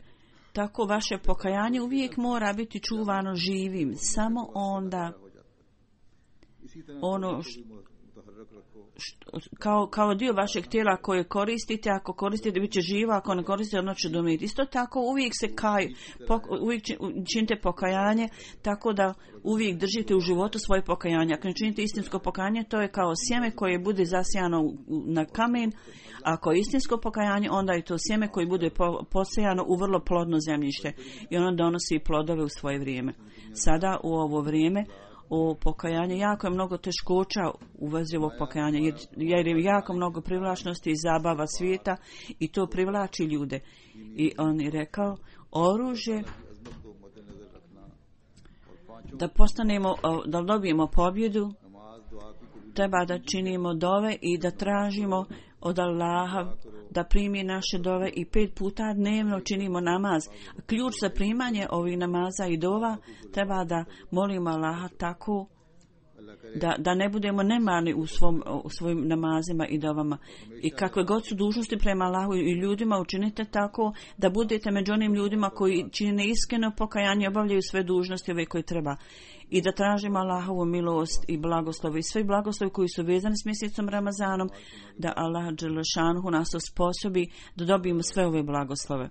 Tako vaše pokajanje uvijek mora biti čuvano živim. Samo onda ono što, što, kao, kao dio vašeg tijela koje koristite, ako koristite bit će živo, ako ne koristite ono će domiti. Isto tako uvijek se kaj, pok, uvijek činite pokajanje tako da uvijek držite u životu svoje pokajanje. Ako ne činite istinsko pokajanje, to je kao sjeme koje bude zasijano na kamen. Ako je istinsko pokajanje, onda je to sjeme koje bude posejano u vrlo plodno zemljište i ono donosi plodove u svoje vrijeme. Sada u ovo vrijeme o pokajanju jako je mnogo teškoća u vezi ovog pokajanja, jer, jer je jako mnogo privlačnosti i zabava svijeta i to privlači ljude. I on je rekao, oružje da postanemo, da dobijemo pobjedu, treba da činimo dove i da tražimo od Allaha da primi naše dove i pet puta dnevno činimo namaz. Ključ za primanje ovih namaza i dova treba da molimo Allaha tako da, da ne budemo nemarni u, svom, u svojim namazima i dovama. I kakve god su dužnosti prema Allahu i ljudima, učinite tako da budete među onim ljudima koji čine iskreno pokajanje, obavljaju sve dužnosti ove koje treba. I da tražimo Allahovu milost i blagoslov i sve blagoslovi koji su vezani s mjesecom Ramazanom, da Allah dželešanhu nas osposobi da dobijemo sve ove blagoslove.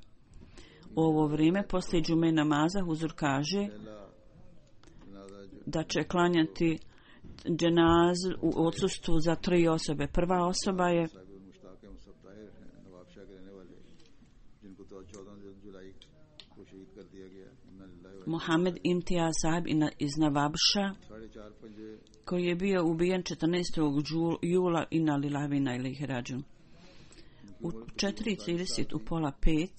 U ovo vrijeme, poslije džume namaza, huzur kaže da će klanjati dženaz u odsustvu za tri osobe. Prva osoba je Mohamed Imtijaz Sahib iz Navabša, koji je bio ubijen četrnaestog jula inna lillahi wa inna ilaihi rađun. U četiri trideset, u pola pet,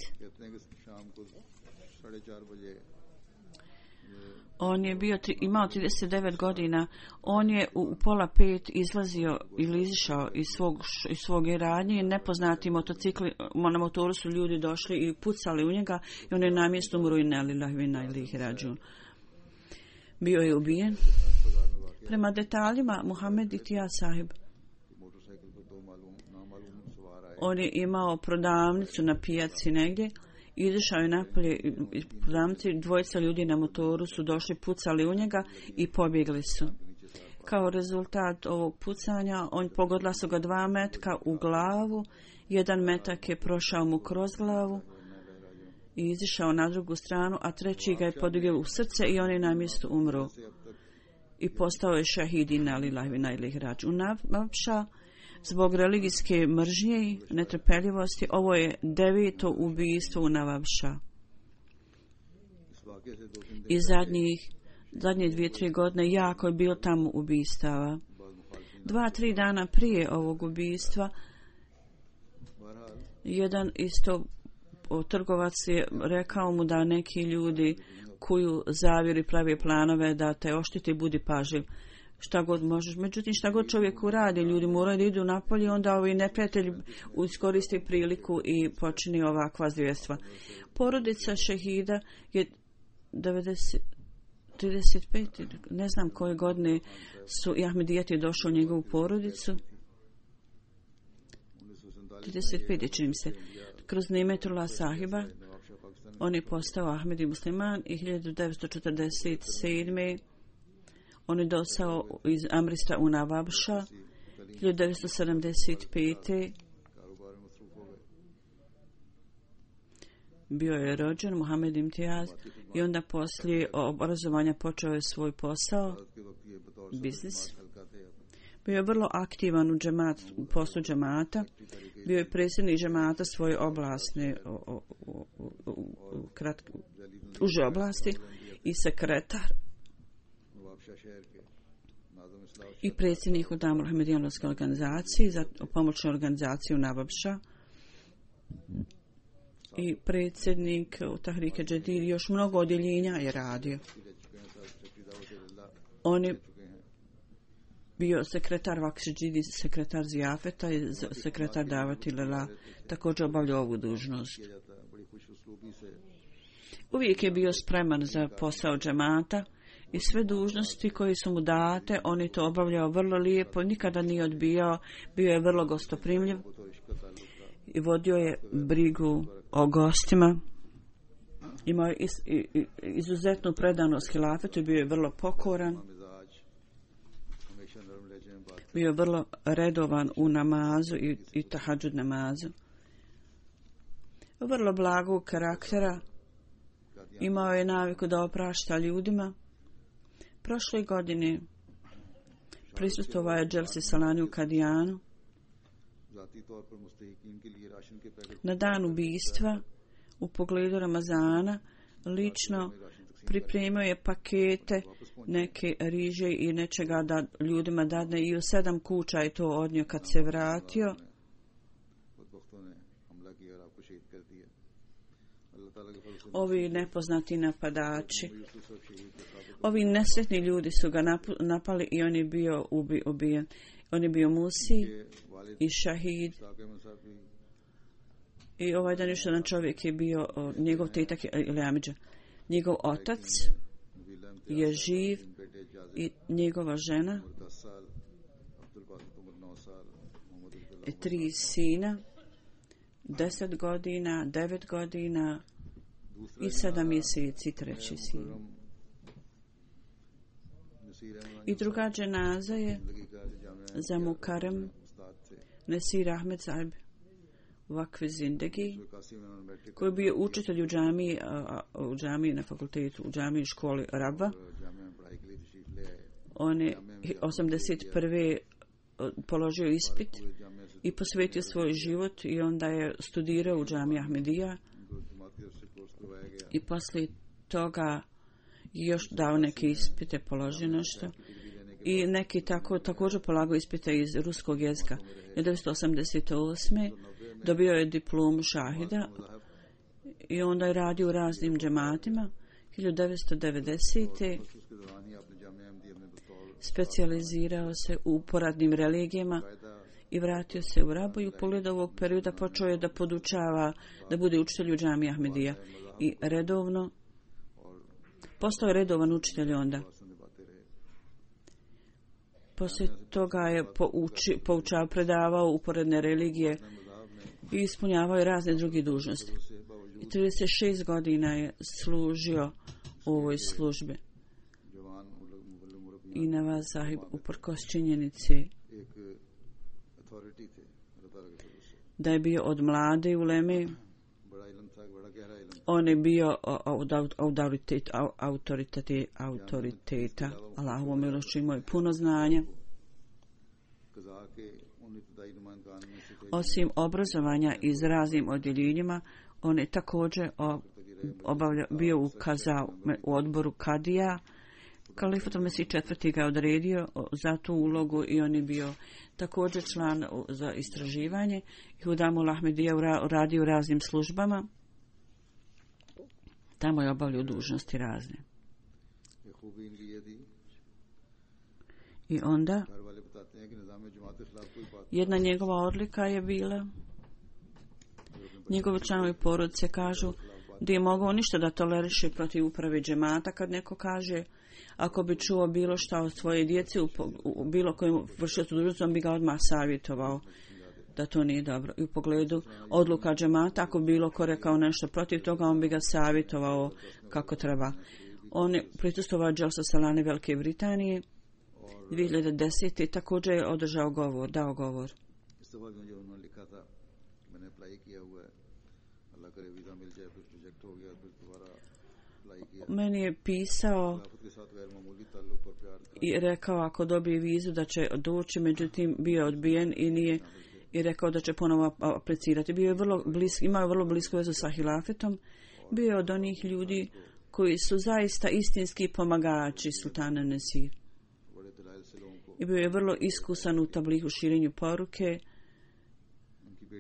on je bio, imao trideset devet godina, on je u, u pola pet izlazio ili izišao iz svog, iz svog radnje, nepoznati motocikli, na motoru su ljudi došli i pucali u njega i on je na mjestu umro inna lillahi wa inna ilaihi rađun. Bio je ubijen. Prema detaljima, Mohamed Imtijaz Sahib, on je imao prodavnicu na pijaci negdje, izašao je napolje iz prodavnice, dvojica ljudi na motoru su došli, pucali u njega i pobjegli su. Kao rezultat ovog pucanja, on pogodila su ga dva metka u glavu, jedan metak je prošao mu kroz glavu i izišao na drugu stranu, a treći ga je podigao u srce i on je na mjestu umro. I postao je šahid inna lillahi wa inna ilaihi rađun. Navabša, zbog religijske mržnje i netrpeljivosti, ovo je deveto ubijstvo u Navabša. I zadnjih, zadnje dvije, tri godine jako je bilo tamo ubistava. Dva, tri dana prije ovog ubijstva, jedan isto trgovac je rekao mu da neki ljudi kuju zavjeri, pravi planove da te oštiti, budi pažljiv. Šta god možeš. Međutim, šta god čovjek uradi, ljudi moraju da idu napolje, onda ovi neprijatelji iskoristi priliku i počini ovakva zvjerstva. Porodica šehida je devedeset, trideset pet, ne znam koje godine su i Ahmedijati došli u njegovu porodicu. trideset pet je, čini mi se. Kroz Nimetullah Sahiba on je postao Ahmedi musliman i hiljadu devetsto četrdeset sedme. On je došao iz Amrista u Navabša hiljadu devetsto sedamdeset pete. Bio je rođen Mohamed Imtijaz i onda poslije obrazovanja počeo je svoj posao, biznis. Bio je vrlo aktivan u, džemat, u poslu džemata. Bio je predsjednik džemata svoje oblasne, o, o, o, o, o, kratke, uže oblasti i sekretar i predsjednik u Damul Ahmedijanovske organizacije za pomoćnu organizaciju Navabša i predsjednik u Tahrike Džedid. Još mnogo odjeljenja je radio. On je bio sekretar Vakšidžidi, sekretar Zijafeta i sekretar Davati Lela, također obavljao ovu dužnost. Uvijek je bio spreman za posao džemata i sve dužnosti koje su mu date, on je to obavljao vrlo lijepo, nikada nije odbijao, bio je vrlo gostoprimljiv i vodio je brigu o gostima. Imao je izuzetnu predanost hilafetu i bio je vrlo pokoran. Bio je vrlo redovan u namazu i, i tahadžud namazu. Vrlo blagog karaktera. Imao je naviku da oprašta ljudima. Prošle godine prisustvovao je Dželsi Salani u Kadijanu. Na dan ubijstva, u pogledu Ramazana, lično pripremio je pakete neke riže i nečega da ljudima dadne i u sedam kuća je to odnio kad se vratio. Ovi nepoznati napadači, ovi nesretni ljudi su ga napali i on je bio ubi, ubijen. On je bio Musi i šahid. I ovaj dan još jedan čovjek je bio, njegov tetak ili Amidža. Njegov otac je živ i njegova žena, i tri sina, deset godina, devet godina i sedam mjeseci treći sin. I druga dženaza je za Mukarrem Nasir Ahmed Sahib Vakf Zindagi, koji je bio učitelj u džamiji, u džamiji na fakultetu, u džamiji školi Rabva. On je osamdeset prve položio ispit i posvetio svoj život i onda je studirao u džamiji Ahmedija i poslije toga još dao neke ispite, položio nešto i neki tako, također polagao ispite iz ruskog jezika. devetsto osamdeset osme dobio je diplomu šahida i onda je radio u raznim džematima. hiljadu devetsto devedesete specijalizirao se u poradnim religijama i vratio se u Rabu i u pogledu ovog perioda počeo je da podučava, da bude učitelj u džamiji Ahmedija i redovno postao je redovan učitelj onda. Poslije toga je pouči, poučao, predavao uporedne religije i ispunjavao je razne druge dužnosti. I trideset šest godina je služio u ovoj službi. I Nawaz Sahib uprkos činjenici da je bio od mlade uleme, on je bio od autoritet, autoritete, autoriteta. Allahovom milošću imao je puno znanja. Osim obrazovanja iz raznim odjeljenjima, on je također obavlja, bio u, kaza, u odboru Kadija. Kalifatul Mesih četvrti ga odredio za tu ulogu i on je bio također član za istraživanje. Hudamul Ahmedija radio u raznim službama. Tamo je obavljao dužnosti razne. I onda jedna njegova odlika je bila, njegovi članovi porodice kažu da je mogao ništa da toleriše protiv uprave džemata kad neko kaže ako bi čuo bilo šta od svoje djece u, u bilo kojem vršiocu dužnosti, on bi ga odmah savjetovao da to nije dobro. I u pogledu odluka džemata, ako bi bilo ko rekao nešto protiv toga, on bi ga savjetovao kako treba. On je prisustvovao Dželsa Salane Velike Britanije dvije hiljade desete. također je održao govor, dao govor. Meni je pisao i rekao ako dobije vizu da će doći, međutim bio je odbijen i nije i rekao da će ponovo aplicirati. Bio je vrlo blisk, imao je vrlo blisku vezu sa hilafetom. Bio je od onih ljudi koji su zaista istinski pomagači sultana Nasir. I bio je vrlo iskusan u tablihu širenju poruke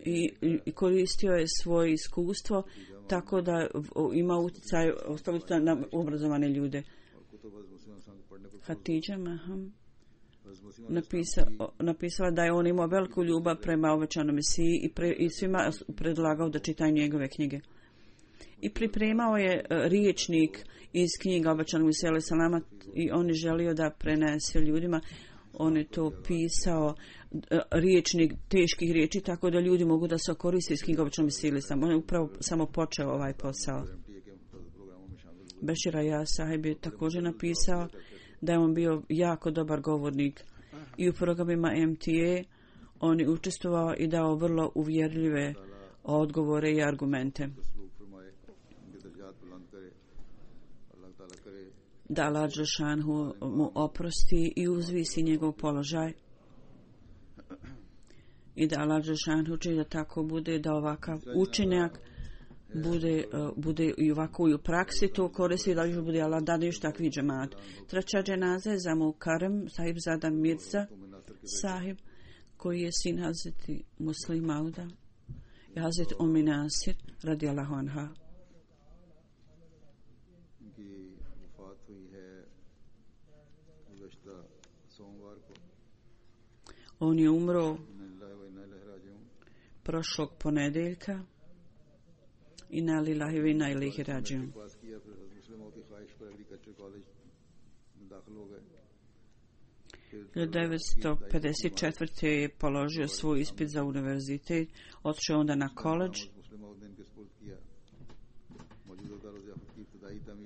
i, i koristio je svoje iskustvo tako da ima utjecaj ostaviti na obrazovane ljude. Hatidža Maham Napisa, napisala da je on imao veliku ljubav prema obećanom Mesiji i, pre, i svima predlagao da čitaju njegove knjige. I pripremao je riječnik iz knjiga obećanog Mesija alejhi selama i on je želio da prenese ljudima. On je to pisao riječnik teških riječi tako da ljudi mogu da se koriste iz knjiga obećanog Mesija alejhi selama. On je upravo samo počeo ovaj posao. Bešir Ayaz Sahib je također napisao da je on bio jako dobar govornik i u programima M T A on je učestvovao i dao vrlo uvjerljive odgovore i argumente. Da Allah Đelšanhu mu oprosti i uzvisi njegov položaj i da Allah Đelšanhu čini da tako bude, da ovakav učinak bude, uh, bude i ovako i u praksi to koristi, da još bude Allah da još takvi džemat. Treća dženaza je za Mukarrem Sahib Zada Mirza Sahib, koji je sin Hazreti Muslim Mauda i Hazreti Ummi Nasir radijallahu anha. On je umro prošlog ponedeljka. Inna lillahi wa inna ilaihi rađiun. hiljadu devetsto pedeset četvrte je položio svoj ispit za univerzitet, otišao onda na koledž.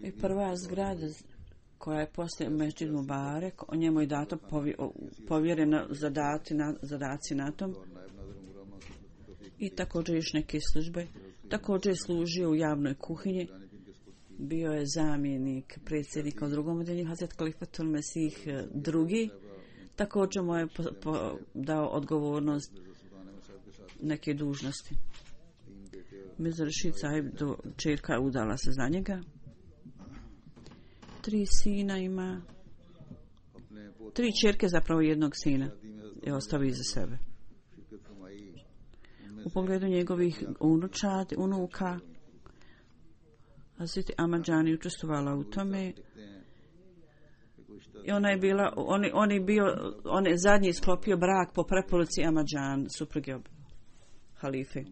I prva zgrada koja je poslije Mesdžid Mubarek, o njemu je dato povjereno zadati na, zadaci na tom. I također još neke službe. Također je služio u javnoj kuhinji. Bio je zamjenik predsjednika u drugom odjeljenju, Hazret Kalifatul Mesih drugi. Također mu je po, po, dao odgovornost neke dužnosti. Mirza Rashid Sahib, čerka, udala se za njega. Tri sina ima. Tri čerke, zapravo jednog sina je ostavio iza sebe. U pogledu njegovih unučad, unuka, Hazreti Ahmadžani učestvovala u tome. I ona je bila, on, on je bio, on je zadnji sklopio brak po preporuci Ahmadžan, supruge halife.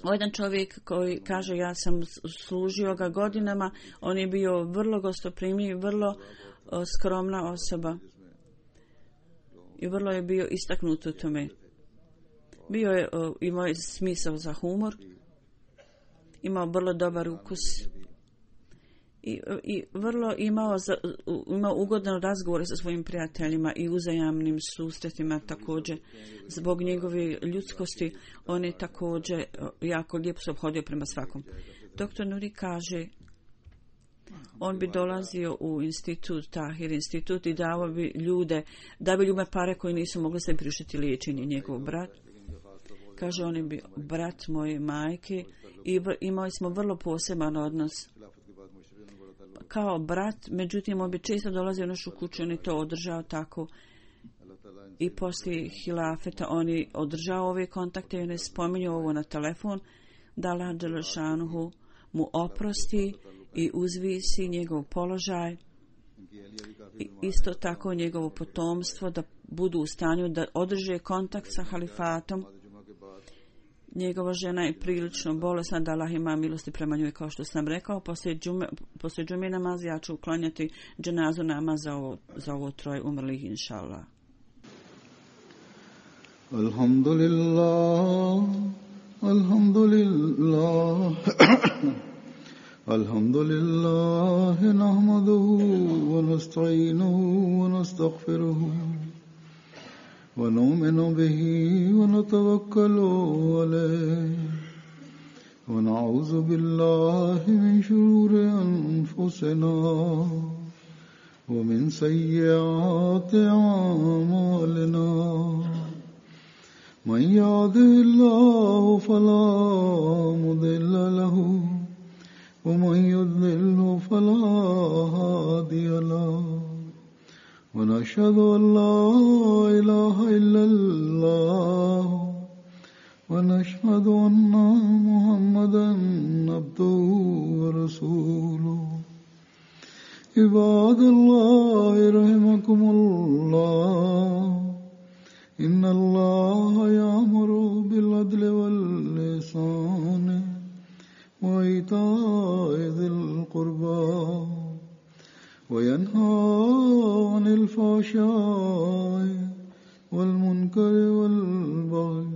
O jedan čovjek koji kaže ja sam služio ga godinama, on je bio vrlo gostoprimljiv, vrlo o, skromna osoba i vrlo je bio istaknut u tome. Bio je, o, imao je smisao za humor, imao vrlo dobar ukus i, i vrlo imao, za, imao ugodan razgovore sa svojim prijateljima i uzajamnim susretima također. Zbog njegove ljudskosti on je također jako lijepo se obhodio prema svakom. Doktor Nuri kaže, on bi dolazio u institut, Tahir institut, i davao bi ljude, da bi ljude pare koji nisu mogli se priuštiti liječenje. Njegov brat, kaže, on je bio brat moje majke i imali smo vrlo poseban odnos kao brat, međutim on bi često dolazio u našu kuću, on je to održao tako i poslije hilafeta on je održao ove kontakte i on je spominjao ovo na telefon, da Allah Đelešanuhu mu oprosti i uzvisi njegov položaj i isto tako njegovo potomstvo da budu u stanju da održe kontakt sa halifatom. Njegova žena je prilično bolesna, da Allah ima milosti prema njoj, kao što sam rekao. Poslije džume, poslije džume namaza ja ću uklanjati dženazu namaz za ovo, za ovo troje umrlih, inša Allah. Alhamdulillah, alhamdulillah, alhamdulillah, nahmaduhu wa nasta'inuhu wa nastaghfiruhu. ونؤمن به ونتوكل عليه ونعوذ بالله من شرور أنفسنا ومن سيئات أعمالنا من يهده الله فلا مضل له ومن يضلل فلا هادي له ونشهد أن لا إله إلا الله ونشهد أن محمدا عبده ورسوله عباد الله رحمكم الله إن الله يأمر بالعدل والإحسان وإيتاء ذي القربى وينهى عن الفحشاء والمنكر والبغي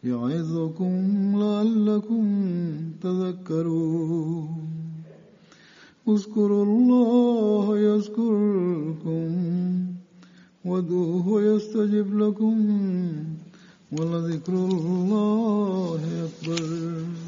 يعظكم لعلكم تذكرون اذكروا الله يذكركم وادعوه يستجب لكم ولذكر الله أكبر.